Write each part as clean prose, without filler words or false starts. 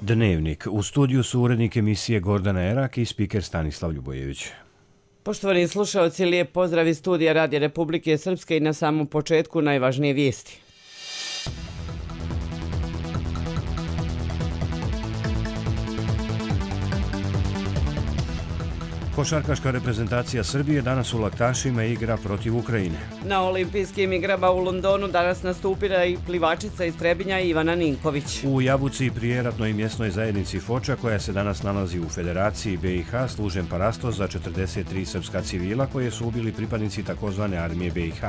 Dnevnik. U studiju su urednik emisije Gordana Erak i spiker Stanislav Ljubojević. Poštovani slušaoci, lijep pozdrav iz studija Radija Republike Srpske i na samom početku najvažnije vijesti. Košarkaška reprezentacija Srbije danas u Laktašima igra protiv Ukrajine. Na olimpijskim igrama u Londonu danas nastupila i plivačica iz Trebinja Ivana Ninković. U Jabuci pri eratnoj mjesnoj zajednici Foča, koja se danas nalazi u Federaciji BiH, služen parastos za 43 srpska civila koje su ubili pripadnici takozvane armije BiH.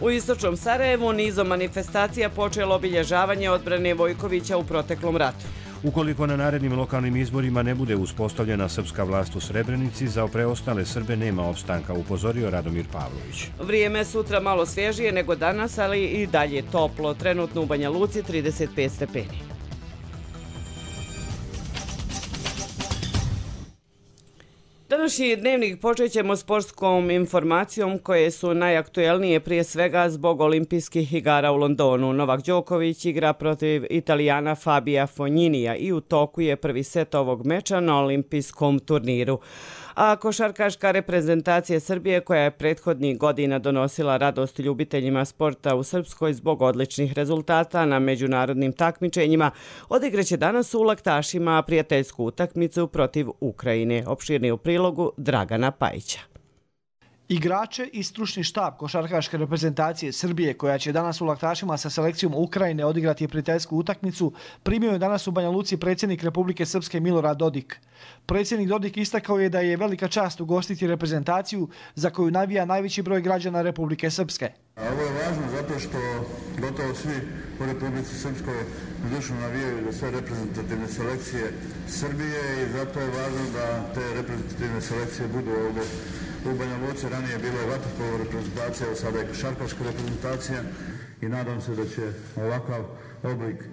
U istočnom Sarajevu nizom manifestacija počelo obilježavanje odbrane Vojkovića u proteklom ratu. Ukoliko na narednim lokalnim izborima ne bude uspostavljena srpska vlast u Srebrenici, za preostale Srbe nema opstanka, upozorio Radomir Pavlović. Vrijeme sutra malo svježije nego danas, ali i dalje toplo. Trenutno u Banja Luci 35 stepeni. Današnji dnevnik počet ćemo sportskom informacijom koje su najaktuelnije prije svega zbog olimpijskih igara u Londonu. Novak Đoković igra protiv Italijana Fabija Fogniniya i u toku je prvi set ovog meča na olimpijskom turniru. A košarkaška reprezentacija Srbije, koja je prethodnih godina donosila radost ljubiteljima sporta u Srpskoj zbog odličnih rezultata na međunarodnim takmičenjima, odigraće danas u Laktašima prijateljsku utakmicu protiv Ukrajine. Opširni u prilogu Dragana Pajića. Igrače i stručni štab košarkaške reprezentacije Srbije, koja će danas u Laktašima sa selekcijom Ukrajine odigrati prijateljsku utakmicu, primio je danas u Banja Luci predsjednik Republike Srpske Milorad Dodik. Predsjednik Dodik istakao je da je velika čast ugostiti reprezentaciju za koju navija najveći broj građana Republike Srpske. Ovo je važno zato što gotovo svi u Republici Srpskoj zdušno navijaju za sve reprezentativne selekcije Srbije i zato je važno da te reprezentativne selekcije budu ovdje u Banja Luci. Ranije je bila je vaterpolo reprezentacija, a sada je košarkaška reprezentacija i nadam se da će ovakav oblik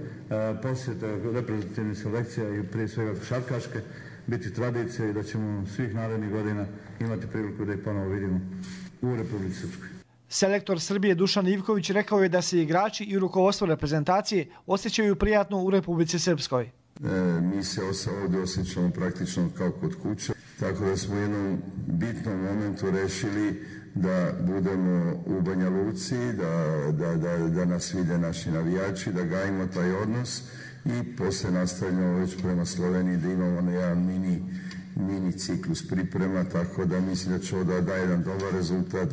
posjeta reprezentativnih selekcija i prije svega košarkaške biti tradicija i da ćemo svih narednih godina imati priliku da ih ponovo vidimo u Republici Srpskoj. Selektor Srbije Dušan Ivković rekao je da se igrači i rukovodstvo reprezentacije osjećaju prijatno u Republici Srpskoj. Mi se ovdje osjećamo praktično kao kod kuće, tako da smo u jednom bitnom momentu rešili da budemo u Banja Luci, da nas vide naši navijači, da gajimo taj odnos i posle nastavljamo već prema Sloveniji da imamo jedan mini ciklus priprema, tako da mislim da će ovo da jedan dobar rezultat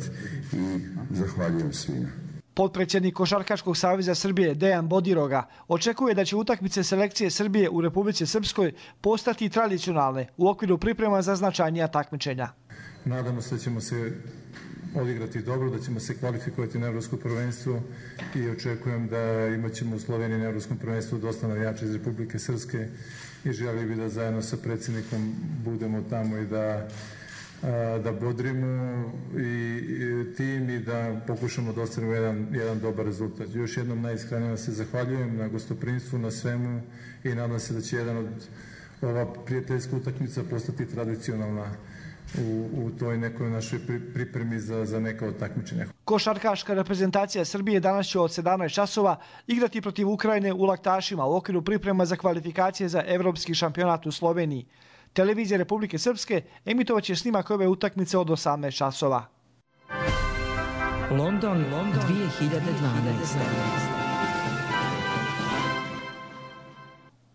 i zahvaljujem svima. Potpredsjednik Košarkaškog saveza Srbije Dejan Bodiroga očekuje da će utakmice selekcije Srbije u Republici Srpskoj postati tradicionalne u okviru priprema za značajnija takmičenja. Nadamo se da ćemo se odigrati dobro, da ćemo se kvalifikovati na Evropsko prvenstvo i očekujem da imat ćemo u Sloveniji na Evropskom prvenstvu dosta navijača iz Republike Srpske i želio bih da zajedno sa predsjednikom budemo tamo i da bodrimo i tim i da pokušamo da ostvarimo jedan dobar rezultat. Još jednom najiskrenije se zahvaljujem na gostoprimstvu, na svemu i nadam se da će ova prijateljska utakmica postati tradicionalna u toj nekoj našoj pripremi za neka od takmičenja. Košarkaška reprezentacija Srbije danas će od 17 časova igrati protiv Ukrajine u Laktašima u okviru priprema za kvalifikacije za evropski šampionat u Sloveniji. Televizija Republike Srpske emitovat će snimak ove utakmice od 18 časova. London 2012.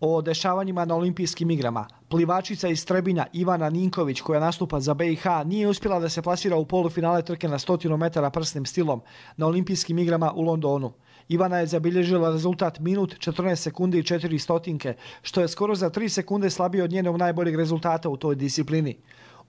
O dešavanjima na olimpijskim igrama. Plivačica iz Trebinja Ivana Ninković, koja nastupa za BiH, nije uspjela da se plasira u polufinale trke na 100 metara prsnim stilom na olimpijskim igrama u Londonu. Ivana je zabilježila rezultat minut 14 sekundi i 4 stotinke, što je skoro za 3 sekunde slabije od njenog najboljeg rezultata u toj disciplini.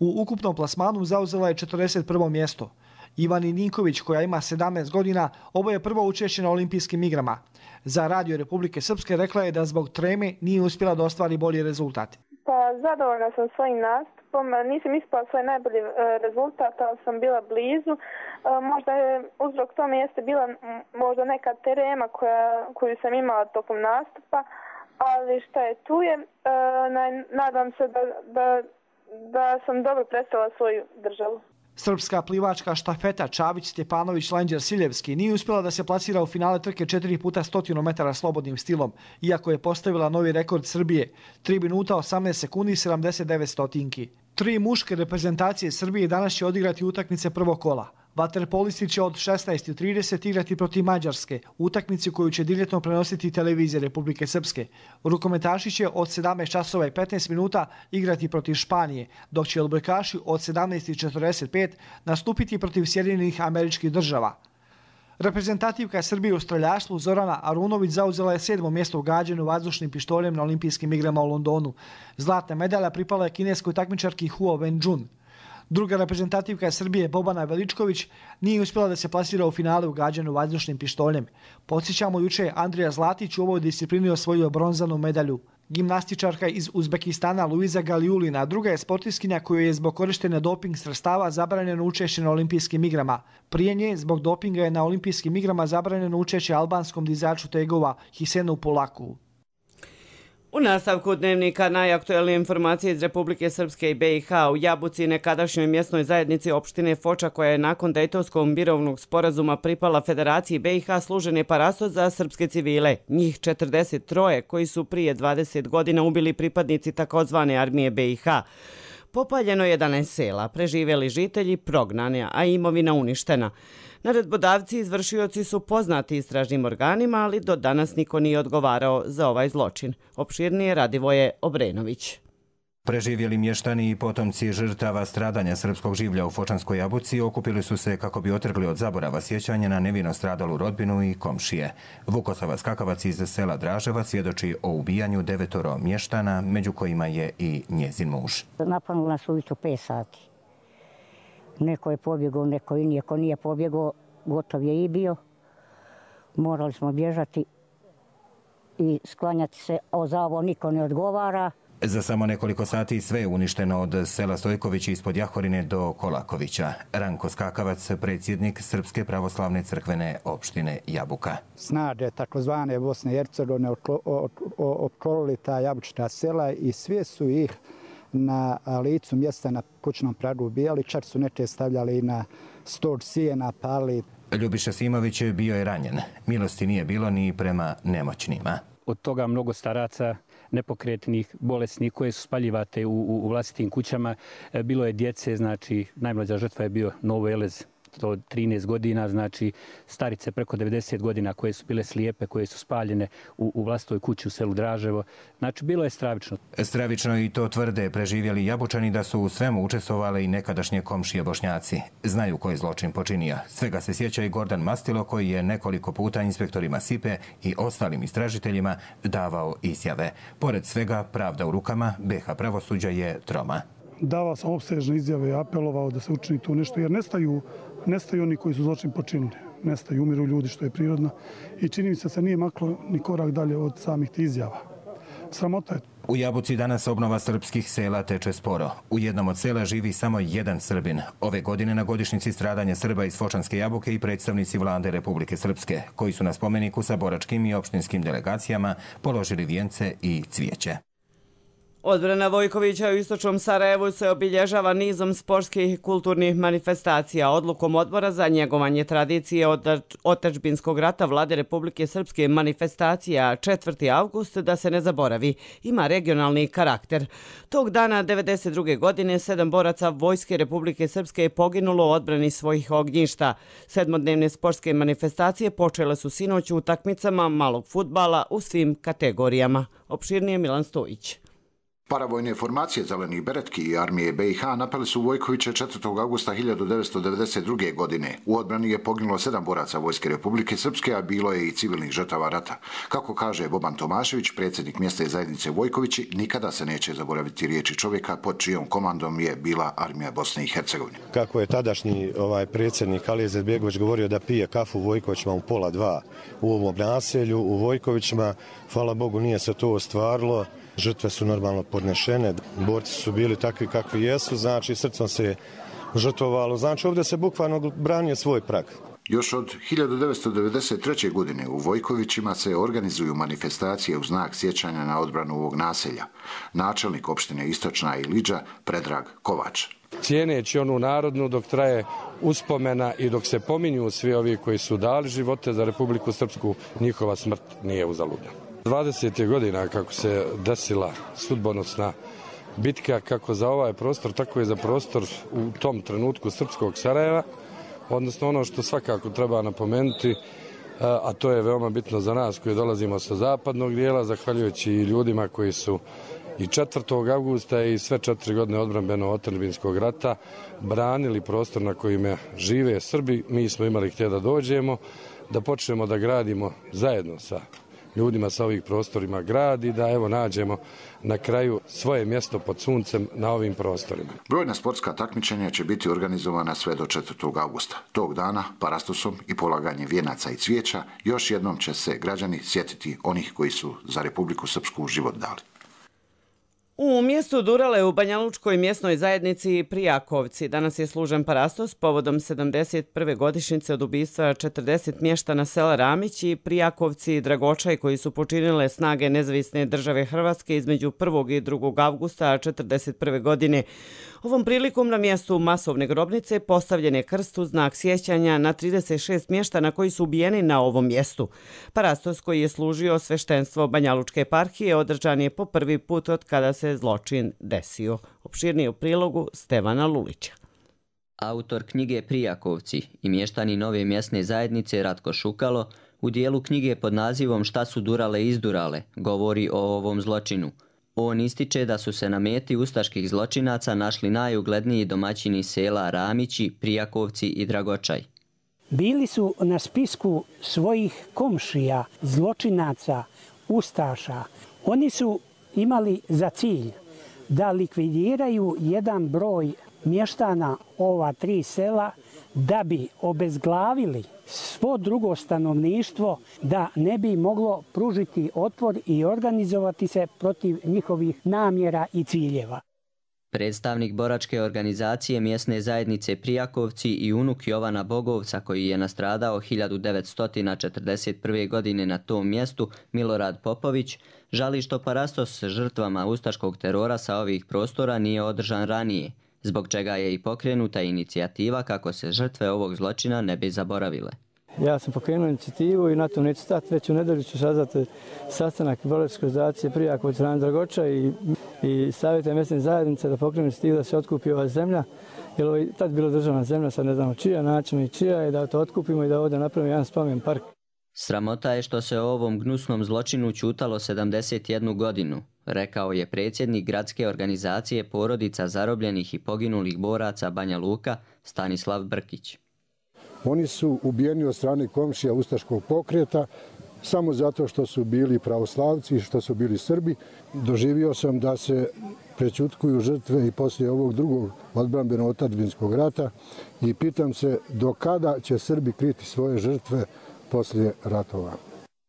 U ukupnom plasmanu zauzela je 41. mjesto. Ivani Ninković, koja ima 17 godina, ovo je prvo učešće na olimpijskim igrama. Za Radio Republike Srpske rekla je da zbog treme nije uspjela da ostvari bolji rezultat. Pa zadovoljna sam svojim nastupom, nisam ispala svoj najbolji rezultat, ali sam bila blizu. Možda je uzrok tome jeste bila možda neka terema koju sam imala tokom nastupa, ali šta je tu je. Nadam se da sam dobro predstavila svoju državu. Srpska plivačka štafeta Čavić Stjepanović Lenđer Siljevski nije uspjela da se plasira u finale trke 4 puta 100 metara slobodnim stilom, iako je postavila novi rekord Srbije, 3 minuta 18 sekundi i 79 stotinki. 3 muške reprezentacije Srbije danas će odigrati utakmice prvog kola. Vaterpolisti će od 16:30 igrati protiv Mađarske, utakmici koju će direktno prenositi televizije Republike Srpske. Rukometaši će od 17 časova i 15 minuta igrati protiv Španije, dok će odbojkaši od 17:45 nastupiti protiv Sjedinjenih Američkih Država. Reprezentativka Srbije u streljaštvu Zorana Arunović zauzela je 7. mjesto u gađanju vazdušnim pištoljem na olimpijskim igrama u Londonu. Zlatna medalja pripala je kineskoj takmičarki Huo Wenjun. Druga reprezentativka Srbije Bobana Veličković nije uspjela da se plasira u finale u gađanju vazdušnim pištoljem. Podsjećamo, juče je Andrija Zlatić u ovoj disciplini osvojio bronzanu medalju. Gimnastičarka iz Uzbekistana Luiza Galiulina druga je sportistkinja koju je zbog korištenja doping sredstava zabranjeno učešće na olimpijskim igrama. Prije nje zbog dopinga je na olimpijskim igrama zabranjeno učešće albanskom dizaču tegova Hisenu Polaku. U nastavku dnevnika najaktuelnije informacije iz Republike Srpske i BiH. U Jabuci, nekadašnjoj mjesnoj zajednici opštine Foča, koja je nakon Dejtonskog mirovnog sporazuma pripala Federaciji BiH, služen je parasto za srpske civile. Njih 43 koji su prije 20 godina ubili pripadnici takozvane armije BiH. Popaljeno 11 sela, preživjeli žitelji prognani, a imovina uništena. Naredbodavci i izvršioci su poznati istražnim organima, ali do danas niko nije odgovarao za ovaj zločin. Opširnije Radivoje Obrenović. Preživjeli mještani i potomci žrtava stradanja srpskog življa u Fočanskoj Jabuci okupili su se kako bi otrgli od zaborava sjećanje na nevino stradalu rodbinu i komšije. Vukosava Skakavac iz sela Draževac svjedoči o ubijanju 9 mještana, među kojima je i njezin muž. Napadnuli nas ujutro 5 sati. Neko je pobjegao, neko i nije. Ko nije pobjegao, gotov je i bio. Morali smo bježati i sklanjati se, a za ovo niko ne odgovara. Za samo nekoliko sati sve je uništeno od sela Stojković ispod Jahorine do Kolakovića. Ranko Skakavac, predsjednik Srpske pravoslavne crkvene opštine Jabuka. Snage takozvane Bosne i Hercegovine opkolili ta jabučna sela i sve su ih na licu mjesta na kućnom pragu ubijali, čak su neke stavljali na stol sijena, pali. Ljubiša Simović bio je ranjen. Milosti nije bilo ni prema nemoćnima. Od toga mnogo staraca, nepokretnih, bolesnih koje su spaljivate u vlastitim kućama. Bilo je djece, znači najmlađa žrtva je bio Novo Elez, to 13 godina, znači starice preko 90 godina koje su bile slijepe, koje su spaljene u vlastitoj kući u selu Draževo. Znači, bilo je stravično. Stravično i to tvrde preživjeli Jabučani da su u svemu učestvovali i nekadašnje komšije Bošnjaci. Znaju ko je zločin počinio. Svega se sjeća i Gordan Mastilo koji je nekoliko puta inspektorima SIPE i ostalim istražiteljima davao izjave. Pored svega, pravda u rukama, BiH pravosuđa je troma. Davao sam opsežne izjave i apelovao da se učini tu nešto, jer nestaju oni koji su zločin počinili. Nestaju, umiru ljudi, što je prirodno. I čini mi se nije maklo ni korak dalje od samih tih izjava. Sramota je. U Jabuci danas obnova srpskih sela teče sporo. U jednom od sela živi samo jedan Srbin. Ove godine na godišnjici stradanja Srba iz Fočanske Jabuke i predstavnici vlade Republike Srpske, koji su na spomeniku sa boračkim i opštinskim delegacijama položili vijence i cvijeće. Odbrana Vojkovića u istočnom Sarajevu se obilježava nizom sportskih i kulturnih manifestacija. Odlukom odbora za njegovanje tradicije od otadžbinskog rata Vlade Republike Srpske manifestacija 4. avgust, da se ne zaboravi, ima regionalni karakter. Tog dana 1992. godine 7 boraca Vojske Republike Srpske je poginulo u odbrani svojih ognjišta. 7-dnevne sportske manifestacije počele su sinoć u utakmicama malog fudbala u svim kategorijama. Opširnije Milan Stojić. Paravojne formacije Zelenih beretki i armije BiH napali su Vojkovića 4. augusta 1992. godine. U odbrani je poginulo 7 boraca Vojske Republike Srpske, a bilo je i civilnih žrtava rata. Kako kaže Boban Tomašević, predsjednik mjesne zajednice Vojkovići, nikada se neće zaboraviti riječi čovjeka pod čijom komandom je bila armija Bosne i Hercegovine. Kako je tadašnji predsjednik Alija Izetbegović govorio da pije kafu u Vojkovićima u 1:30 u ovom naselju, u Vojkovićima, hvala Bogu nije se to ostvarilo. Žrtve su normalno podnešene, borci su bili takvi kakvi jesu, znači srcom se žrtvovalo, znači ovdje se bukvalno branio svoj prag. Još od 1993. godine u Vojkovićima se organizuju manifestacije u znak sjećanja na odbranu ovog naselja. Načelnik opštine Istočna Iliđa Predrag Kovač. cijeneći onu narodnu dok traje uspomena i dok se pominju svi ovi koji su dali živote za Republiku Srpsku, njihova smrt nije uzaludna. 20. godina kako se desila sudbonosna bitka kako za ovaj prostor, tako i za prostor u tom trenutku srpskog Sarajeva, odnosno ono što svakako treba napomenuti, a to je veoma bitno za nas koji dolazimo sa zapadnog dijela, zahvaljujući i ljudima koji su i 4. avgusta i sve 4 godine odbrambeno-otadžbinskog rata branili prostor na kojima žive Srbi. Mi smo imali htjeti da dođemo, da počnemo da gradimo zajedno sa ljudima sa ovih prostorima grad i da evo nađemo na kraju svoje mjesto pod suncem na ovim prostorima. Brojna sportska takmičenja će biti organizovana sve do 4. augusta. Tog dana parastosom i polaganjem vijenaca i cvijeća još jednom će se građani sjetiti onih koji su za Republiku Srpsku život dali. U mjestu Durale u Banjalučkoj mjesnoj zajednici Prijakovci danas je služen parastos povodom 71. godišnjice od ubistva 40 mještana sela Ramić i Prijakovci i Dragočaj koji su počinile snage Nezavisne države Hrvatske između 1. i 2. avgusta 1941. godine. Ovom prilikom na mjestu masovne grobnice postavljen je krst u znak sjećanja na 36 mještana koji su ubijeni na ovom mjestu. Parastos koji je služio sveštenstvo Banjalučke eparhije održan je po prvi put od kada se zločin desio. Opširnije u prilogu Stevana Lulića. Autor knjige Prijakovci i mještani nove mjesne zajednice Ratko Šukalo u dijelu knjige pod nazivom Šta su Durale izdurale govori o ovom zločinu. On ističe da su se na meti ustaških zločinaca našli najugledniji domaćini sela Ramići, Prijakovci i Dragočaj. Bili su na spisku svojih komšija, zločinaca, ustaša. Oni su imali za cilj da likvidiraju jedan broj mještana ova 3 sela da bi obezglavili svo drugo stanovništvo da ne bi moglo pružiti otpor i organizovati se protiv njihovih namjera i ciljeva. Predstavnik boračke organizacije mjesne zajednice Prijakovci i unuk Jovana Bogovca koji je nastradao 1941. godine na tom mjestu, Milorad Popović, žali što parastos s žrtvama ustaškog terora sa ovih prostora nije održan ranije, zbog čega je i pokrenuta inicijativa kako se žrtve ovog zločina ne bi zaboravile. Ja sam pokrenuo inicijativu i na to neću stati. Već u nedelju ću sazvati sastanak boračke organizacije Prijakovci Dragoča i savjeta mjesne zajednice da pokrenu inicijativu da se otkupi ova zemlja. Jer ovo je tad bila državna zemlja, sad ne znamo čija, način i čija, i da to otkupimo i da ovdje napravimo jedan spomen park. Sramota je što se o ovom gnusnom zločinu ćutalo 71 godinu, rekao je predsjednik gradske organizacije porodica zarobljenih i poginulih boraca Banja Luka Stanislav Brkić. Oni su ubijeni od strane komšija ustaškog pokreta samo zato što su bili pravoslavci i što su bili Srbi. Doživio sam da se prećutkuju žrtve i poslije ovog drugog odbrambeno-otadžbinskog rata i pitam se do kada će Srbi kriti svoje žrtve poslije ratova.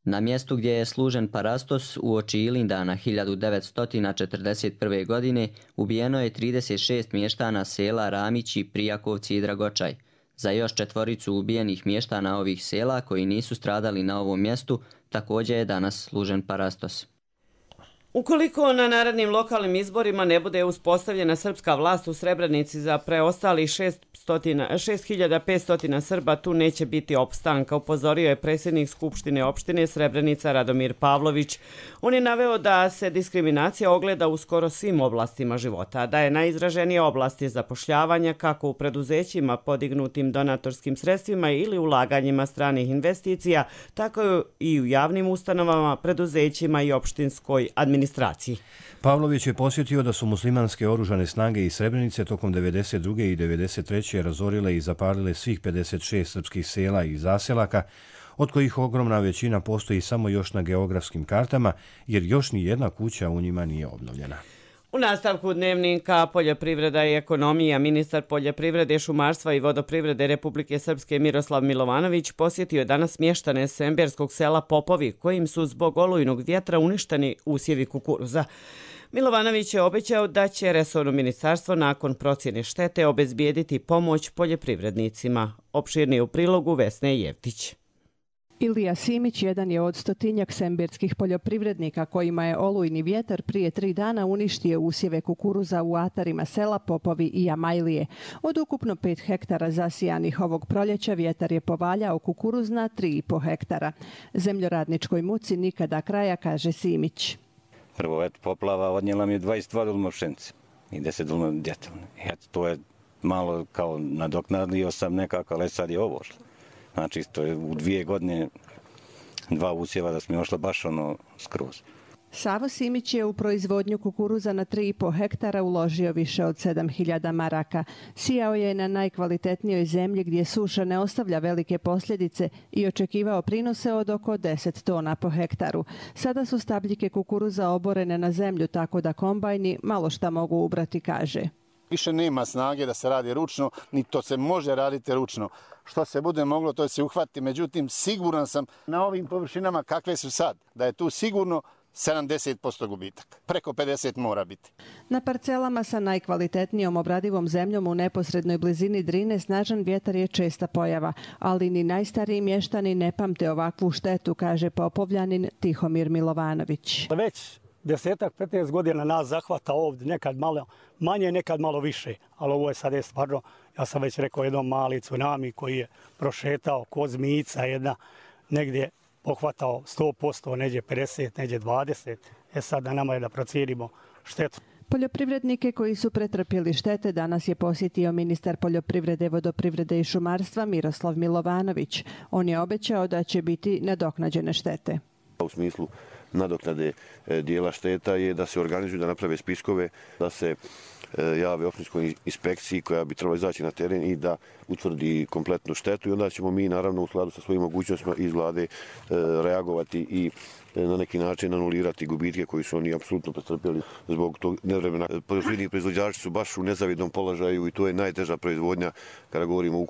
Na mjestu gdje je služen parastos uoči Ilindana 1941. godine ubijeno je 36 mještana sela Ramići, Prijakovci i Dragočaj. Za još 4 ubijenih mještana ovih sela koji nisu stradali na ovom mjestu također je danas služen parastos. Ukoliko na narednim lokalnim izborima ne bude uspostavljena srpska vlast u Srebrenici za preostalih 6500 Srba, tu neće biti opstanka, upozorio je predsjednik Skupštine opštine Srebrenica Radomir Pavlović. On je naveo da se diskriminacija ogleda u skoro svim oblastima života, da je najizraženije oblasti zapošljavanja kako u preduzećima podignutim donatorskim sredstvima ili ulaganjima stranih investicija, tako i u javnim ustanovama, preduzećima i opštinskoj administraciji. Pavlović je posjetio da su muslimanske oružane snage iz Srebrenice tokom 1992. i 1993. razorile i zapalile svih 56 srpskih sela i zaselaka, od kojih ogromna većina postoji samo još na geografskim kartama, jer još ni jedna kuća u njima nije obnovljena. U nastavku dnevnika Poljoprivreda i ekonomija ministar poljoprivrede, šumarstva i vodoprivrede Republike Srpske Miroslav Milovanović posjetio je danas mještane semberskog sela Popovi, kojim su zbog olujnog vjetra uništeni usjevi kukuruza. Milovanović je obećao da će resorno ministarstvo nakon procjene štete obezbijediti pomoć poljoprivrednicima. Opširnije u prilogu Vesne Jevtić. Ilija Simić jedan je od stotinjak sembirskih poljoprivrednika kojima je olujni vjetar prije 3 dana uništio usjeve kukuruza u atarima sela Popovi i Jamajlije. Od ukupno 5 hektara zasijanih ovog proljeća vjetar je povaljao kukuruz na 3,5 hektara. Zemljoradničkoj muci nikada kraja, kaže Simić. Prvo, poplava odnijela mi je 22 dulma pšenice i 10 dulma djetelne. To je malo kao nadoknadio sam nekako, ali sad je ovo šlo. Znači, to je u 2 godine 2 usjeva da smo ošla baš skroz. Savo Simić je u proizvodnju kukuruza na 3,5 hektara uložio više od 7.000 maraka. Sijao je na najkvalitetnijoj zemlji gdje suša ne ostavlja velike posljedice i očekivao prinose od oko 10 tona po hektaru. Sada su stabljike kukuruza oborene na zemlju tako da kombajni malo šta mogu ubrati, kaže. Više nema snage da se radi ručno, ni to se može raditi ručno. Što se bude moglo, to se uhvati. Međutim, siguran sam na ovim površinama kakve su sad, da je tu sigurno 70% gubitak. Preko 50 mora biti. Na parcelama sa najkvalitetnijom obradivom zemljom u neposrednoj blizini Drine snažan vjetar je česta pojava, ali ni najstariji mještani ne pamte ovakvu štetu, kaže Popovljanin Tihomir Milovanović. Već 10-15 godina nas zahvata ovdje, nekad malo manje, nekad malo više. Ali ovo je sad stvarno, ja sam već rekao, jednom mali tsunami koji je prošetao ko zmijica jedna, negdje pohvatao 100%, neđe 50, neđe 20. Sad na nama je da procijenimo štetu. Poljoprivrednike koji su pretrpjeli štete danas je posjetio ministar poljoprivrede, vodoprivrede i šumarstva Miroslav Milovanović. On je obećao da će biti nadoknađene štete. U smislu nadoknade dijela šteta je da se organizuju, da naprave spiskove, da se jave općinskoj inspekciji koja bi trebala izaći na teren i da utvrdi kompletnu štetu i onda ćemo mi naravno u skladu sa svojim mogućnostima iz vlade reagovati i na neki način anulirati gubitke koji su oni apsolutno pretrpjeli zbog tog nevremena. Poljoprivredni proizvođači su baš u nezavidnom položaju i to je najteža proizvodnja kada govorimo o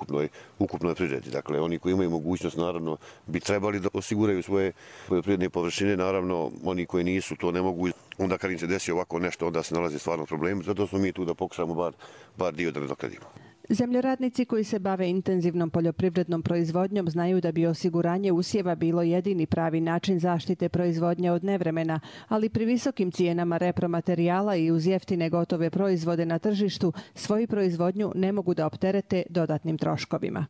ukupnoj privredi. Dakle, oni koji imaju mogućnost naravno bi trebali da osiguraju svoje poljoprivredne površine, naravno oni koji nisu to ne mogu. Onda kad im se desi ovako nešto, onda se nalazi stvarno problemi. Zato smo mi tu da pokušamo bar dio da nadoknadimo. Zemljoradnici koji se bave intenzivnom poljoprivrednom proizvodnjom znaju da bi osiguranje usjeva bilo jedini pravi način zaštite proizvodnje od nevremena, ali pri visokim cijenama repromaterijala i uz jeftine gotove proizvode na tržištu svoju proizvodnju ne mogu da opterete dodatnim troškovima.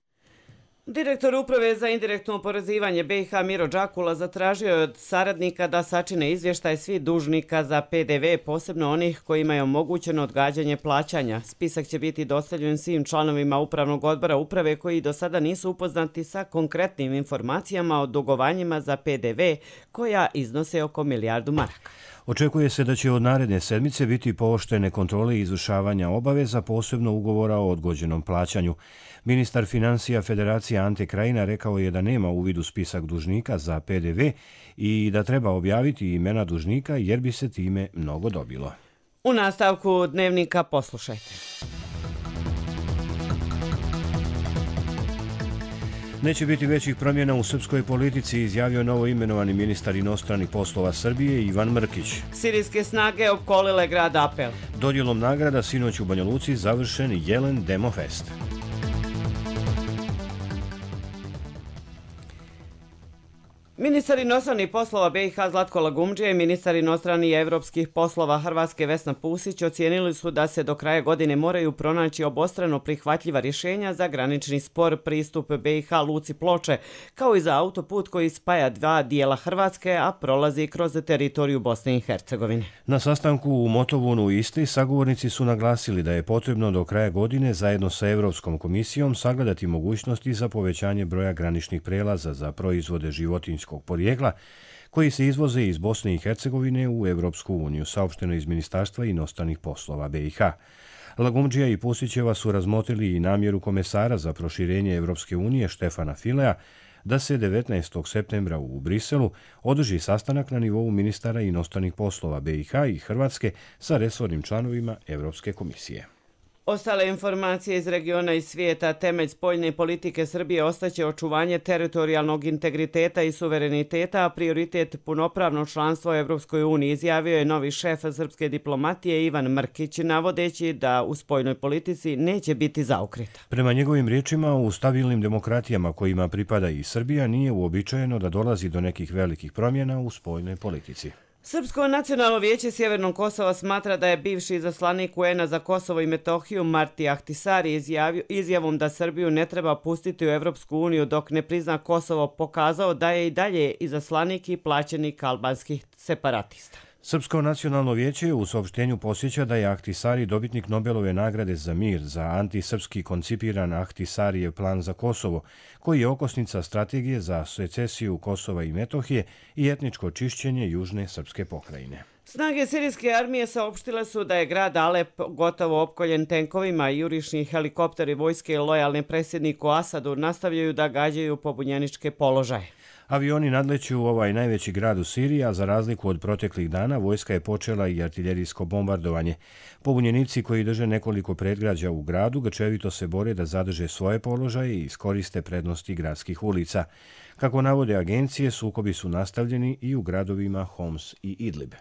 Direktor Uprave za indirektno oporezivanje BiH Miro Đakula zatražio je od saradnika da sačine izvještaj svih dužnika za PDV, posebno onih kojima je omogućeno odgađanje plaćanja. Spisak će biti dostavljen svim članovima Upravnog odbora Uprave koji do sada nisu upoznati sa konkretnim informacijama o dugovanjima za PDV koja iznose oko milijardu maraka. Očekuje se da će od naredne sedmice biti pooštrene kontrole izvršavanja obaveza, posebno ugovora o odgođenom plaćanju. Ministar financija Federacije Ante Krajina rekao je da nema uvid u spisak dužnika za PDV i da treba objaviti imena dužnika jer bi se time mnogo dobilo. U nastavku dnevnika poslušajte. Neće biti većih promjena u srpskoj politici, izjavio novo imenovani ministar inostranih poslova Srbije Ivan Mrkić. Sirijske snage opkolile grad Apel. Dodjelom nagrada sinoć u Banja Luci završen Jelen Demofest. Ministar inostranih poslova BiH Zlatko Lagumdžija i ministar inostranih i evropskih poslova Hrvatske Vesna Pusić ocijenili su da se do kraja godine moraju pronaći obostrano prihvatljiva rješenja za granični spor pristup BiH luci Ploče, kao i za autoput koji spaja 2 dijela Hrvatske, a prolazi kroz teritoriju Bosne i Hercegovine. Na sastanku u Motovunu u Istri sagovornici su naglasili da je potrebno do kraja godine zajedno sa Evropskom komisijom sagledati mogućnosti za povećanje broja graničnih prelaza za proizvode životinjskog porijekla koji se izvoze iz Bosne i Hercegovine u Evropsku uniju, saopšteno iz Ministarstva inostranih poslova BiH. Lagumdžija i Pusićeva su razmotrili i namjeru komesara za proširenje Evropske unije Štefana Filea da se 19. septembra u Briselu održi sastanak na nivou ministara inostranih poslova BiH i Hrvatske sa resornim članovima Evropske komisije. Ostale informacije iz regiona i svijeta, temelj spoljne politike Srbije ostaće očuvanje teritorijalnog integriteta i suvereniteta, a prioritet punopravno članstvo u Evropskoj uniji, izjavio je novi šef srpske diplomatije Ivan Mrkić, navodeći da u spoljnoj politici neće biti zaokreta. Prema njegovim riječima, u stabilnim demokratijama kojima pripada i Srbija nije uobičajeno da dolazi do nekih velikih promjena u spoljnoj politici. Srpsko nacionalno vijeće Sjevernog Kosova smatra da je bivši izaslanik UN-a za Kosovo i Metohiju Marti Ahtisari izjavom da Srbiju ne treba pustiti u Evropsku uniju dok ne prizna Kosovo pokazao da je i dalje izaslanik i plaćenik albanskih separatista. Srpsko nacionalno vijeće u saopštenju posjeća da je Ahtisari dobitnik Nobelove nagrade za mir za antisrpski koncipiran Ahtisarijev plan za Kosovo, koji je okosnica strategije za secesiju Kosova i Metohije i etničko čišćenje južne srpske pokrajine. Snage sirijske armije saopštile su da je grad Alep gotovo opkoljen tenkovima i jurišni helikopteri vojske lojalne predsjedniku Asadu nastavljaju da gađaju pobunjeničke položaje. Avioni nadleću u ovaj najveći grad u Siriji, a za razliku od proteklih dana, vojska je počela i artiljerijsko bombardovanje. Pobunjenici koji drže nekoliko predgrađa u gradu grčevito se bore da zadrže svoje položaje i iskoriste prednosti gradskih ulica. Kako navode agencije, sukobi su nastavljeni i u gradovima Homs i Idlib.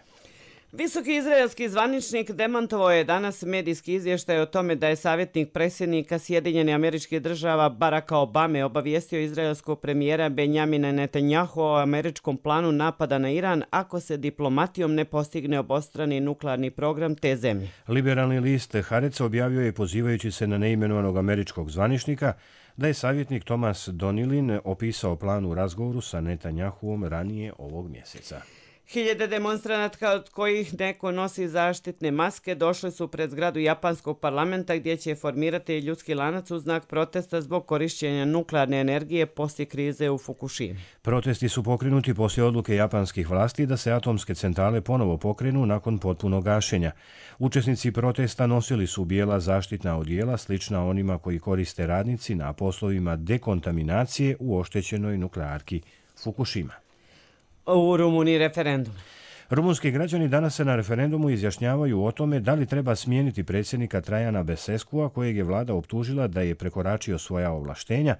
Visoki izraelski zvaničnik demantovao je danas medijski izvještaj o tome da je savjetnik predsjednika Sjedinjenih Američkih Država Baracka Obame obavijestio izraelskog premijera Benjamina Netanjahu o američkom planu napada na Iran ako se diplomatijom ne postigne obostrani nuklearni program te zemlje. Liberalni list Haaretz objavio je, pozivajući se na neimenovanog američkog zvaničnika, da je savjetnik Thomas Donilin opisao plan u razgovoru sa Netanjahuom ranije ovog mjeseca. Hiljade demonstranata od kojih neko nosi zaštitne maske došli su pred zgradu japanskog parlamenta gdje će formirati ljudski lanac u znak protesta zbog korišćenja nuklearne energije poslije krize u Fukushimi. Protesti su pokrenuti poslije odluke japanskih vlasti da se atomske centrale ponovo pokrenu nakon potpunog gašenja. Učesnici protesta nosili su bijela zaštitna odijela slična onima koji koriste radnici na poslovima dekontaminacije u oštećenoj nuklearki Fukushima. U Rumuniji referendum. Rumunski građani danas se na referendumu izjašnjavaju o tome da li treba smijeniti predsjednika Trajana Beseskua, kojeg je vlada optužila da je prekoračio svoja ovlaštenja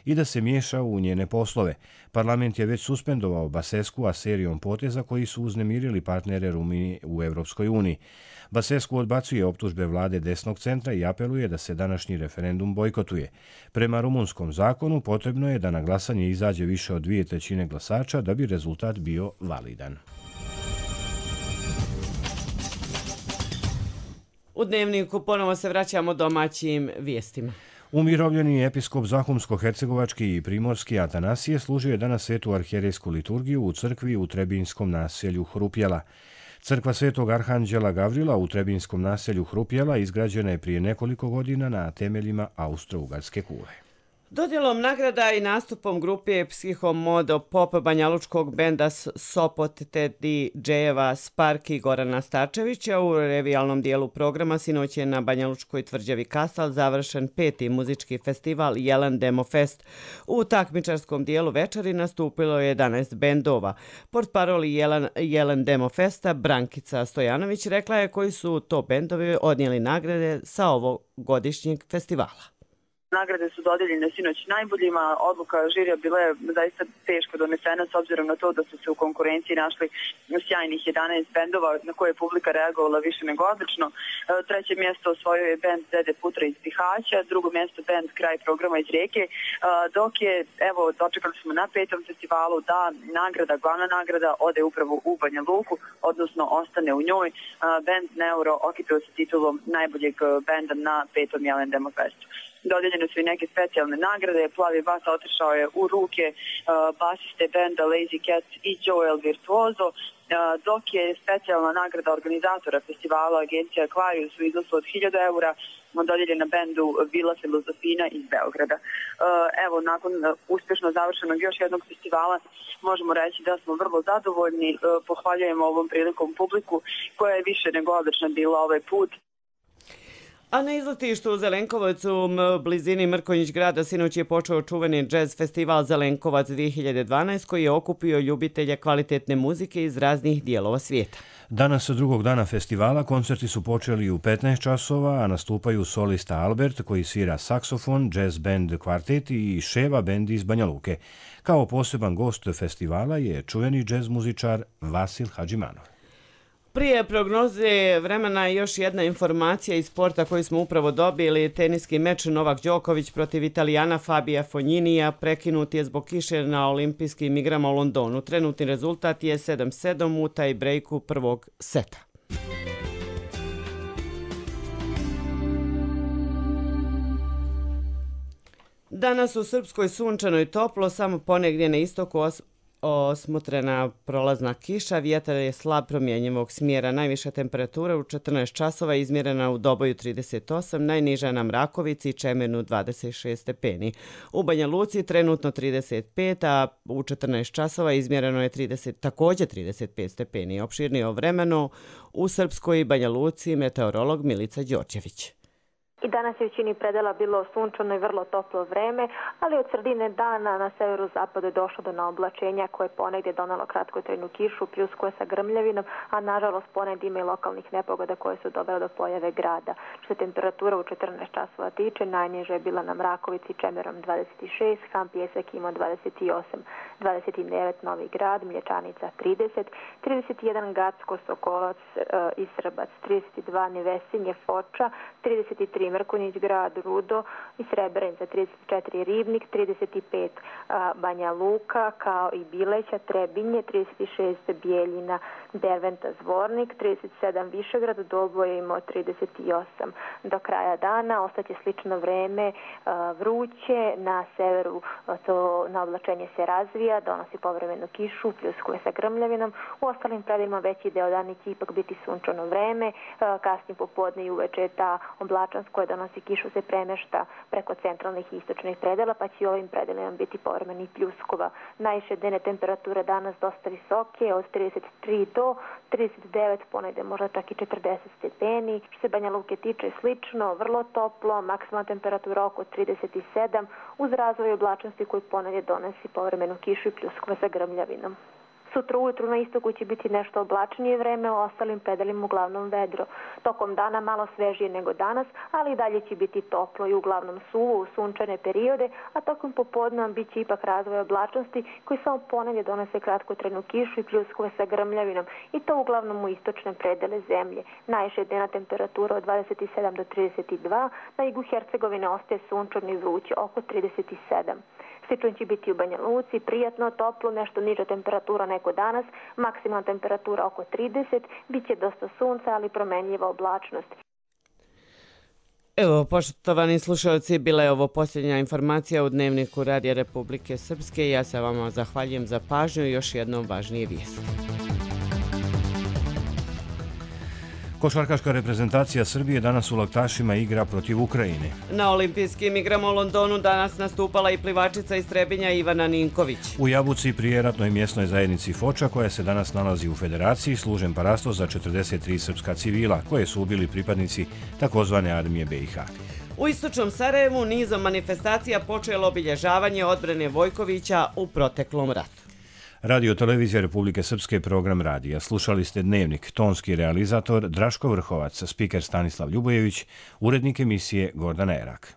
i da se miješa u njene poslove. Parlament je već suspendovao Baseskua serijom poteza koji su uznemirili partnere Rumunije u Evropskoj uniji. Basescu odbacuje optužbe vlade desnog centra i apeluje da se današnji referendum bojkotuje. Prema rumunskom zakonu potrebno je da na glasanje izađe više od 2/3 glasača da bi rezultat bio validan. U Dnevniku ponovo se vraćamo domaćim vijestima. Umirovljeni episkop Zahumsko-hercegovački i primorski Atanasije služio je danas svetu arhijerejsku liturgiju u crkvi u Trebinskom naselju Hrupjela. Crkva Svetog Arhanđela Gavrila u Trebinskom naselju Hrupjela izgrađena je prije nekoliko godina na temeljima Austro-Ugarske kule. Dodjelom nagrada i nastupom grupe Psihomodo Pop banjalučkog benda Sopot te DJ-eva Spark i Gorana Starčevića u revijalnom dijelu programa sinoć je na Banjalučkoj tvrđavi Kasal završen 5. muzički festival Jelen Demo Fest. U takmičarskom dijelu večeri nastupilo je 11 bendova. Portparoli Jelen Demo Festa Brankica Stojanović rekla je koji su to bendovi odnijeli nagrade sa ovogodišnjeg festivala. Nagrade su dodijeljene sinoć najboljima, odluka žirija bila je zaista teško donesena s obzirom na to da su se u konkurenciji našli sjajnih 11 bendova na koje je publika reagovala više nego odlično. Treće mjesto osvojio je bend Dede Putra iz Bihaća, drugo mjesto bend Kraj programa iz Rijeke, dok je, evo, dočekali smo na 5. festivalu da nagrada, glavna nagrada ode upravo u Banja Luku, odnosno ostane u njoj. Bend Neuro okitao se titulom najboljeg benda na 5. Jelen Demo Festu. Dodijeljene su i neke specijalne nagrade. Plavi bas otišao je u ruke basiste benda Lazy Cats i Joel Virtuoso, dok je specijalna nagrada organizatora festivala agencija Aquarius u iznosu od 1000 eura dodijeljena bendu Vila Filozofina iz Beograda. Evo, nakon uspješno završenog još jednog festivala možemo reći da smo vrlo zadovoljni. Pohvaljujemo ovom prilikom publiku koja je više nego odlična bila ovaj put. A na izletištu u Zelenkovcu u blizini Mrkonjić grada sinoć je počeo čuveni jazz festival Zelenkovac 2012 koji je okupio ljubitelje kvalitetne muzike iz raznih dijelova svijeta. Danas, drugog dana festivala, koncerti su počeli u 15 časova, a nastupaju solista Albert koji svira saksofon, jazz band kvartet i Ševa bend iz Banja Luke. Kao poseban gost festivala je čuveni jazz muzičar Vasil Hadžimanov. Prije prognoze vremena još jedna informacija iz sporta koju smo upravo dobili. Teniski meč Novak Đoković protiv Italijana Fabija Fogninija prekinut je zbog kiše na olimpijskim igrama u Londonu. Trenutni rezultat je 7-7 u taj brejku prvog seta. Danas u Srpskoj sunčano i toplo, samo ponegdje na istoku osmotrena prolazna kiša, vjetar je slab promjenjivog smjera. Najviša temperatura u 14 časova izmjerena u Doboju 38, najniža na Mrakovici i Čemernu 26 stepeni. U Banja Luci trenutno 35, a u 14 časova izmjereno je također 35 stepeni. Opširnije o vremenu u Srpskoj i Banja Luci meteorolog Milica Đorđević. I danas je u većini predela bilo sunčano i vrlo toplo vreme, ali od sredine dana na severu-zapadu je došlo do naoblačenja koje je ponegdje donalo kratkotrajnu kišu, pljuskuje sa grmljavinom, a nažalost ponegdje ima i lokalnih nepogoda koje su dovele do pojave grada. Što se temperatura u 14 časova tiče, najniža je bila na Mrakovici Čemerom 26, Ham Pjesak imao 28, 29 Novi Grad, Mlječanica 30, 31 Gacko, Sokolac i Srbac, 32 Nevesinje, Foča, 33 Mrkonjić Grad, Rudo i Srebrenica, 34 Ribnik, 35 Banja Luka, kao i Bileća, Trebinje, 36 Bijeljina, Derventa, Zvornik, 37 Višegrad, Doboje imao 38. Do kraja dana ostaće slično vreme, vruće, na severu to naoblačenje se razvija, donosi povremenu kišu, pljuskuje sa grmljavinom, u ostalim predelima veći deo dana će ipak biti sunčano vreme, kasnije popodne i uveče ta oblačnost koja donosi kišu se premešta preko centralnih i istočnih predela, pa će i ovim predelima biti povremeni pljuskova. Najviše dnevne temperature danas dosta visoke, od 33 do 39, ponegde možda čak i 40 stepeni. Što se Banja Luke tiče slično, vrlo toplo, maksimalna temperatura oko 37, uz razvoj oblačnosti koji ponegde donosi povremenu kišu i pljuskova sa grmljavinom. Sutra ujutru na istoku će biti nešto oblačnije vreme, u ostalim predelima uglavnom vedro. Tokom dana malo svežije nego danas, ali i dalje će biti toplo i uglavnom suvo u sunčane periode, a tokom popodne bit će ipak razvoj oblačnosti koji samo ponegdje donose kratkotrajnu kišu i pljuskove sa grmljavinom, i to uglavnom u istočne predele zemlje. Najviša dnevna temperatura od 27 do 32, na jugu Hercegovine ostaje sunčano i vruće, oko 37. Slično će biti u Banja Luci, prijatno, toplo, nešto niža temperatura nego danas, maksimalna temperatura oko 30, bit će dosta sunca, ali promenljiva oblačnost. Evo, poštovani slušalci, bila je ovo posljednja informacija u Dnevniku Radija Republike Srpske. Ja se vama zahvaljujem za pažnju i još jednom važnije vijesti. Košarkaška reprezentacija Srbije danas u Laktašima igra protiv Ukrajine. Na olimpijskim igrama u Londonu danas nastupala i plivačica iz Trebinja Ivana Ninković. U Jabuci pri ratnoj mjesnoj zajednici Foča, koja se danas nalazi u Federaciji, služen parasto za 43 srpska civila, koje su ubili pripadnici takozvane armije BiH. U istočnom Sarajevu nizom manifestacija počelo obilježavanje odbrane Vojkovića u proteklom ratu. Radio Televizija Republike Srpske, program radija. Slušali ste Dnevnik, tonski realizator Draško Vrhovac, spiker Stanislav Ljubojević, urednik emisije Gordana Erak.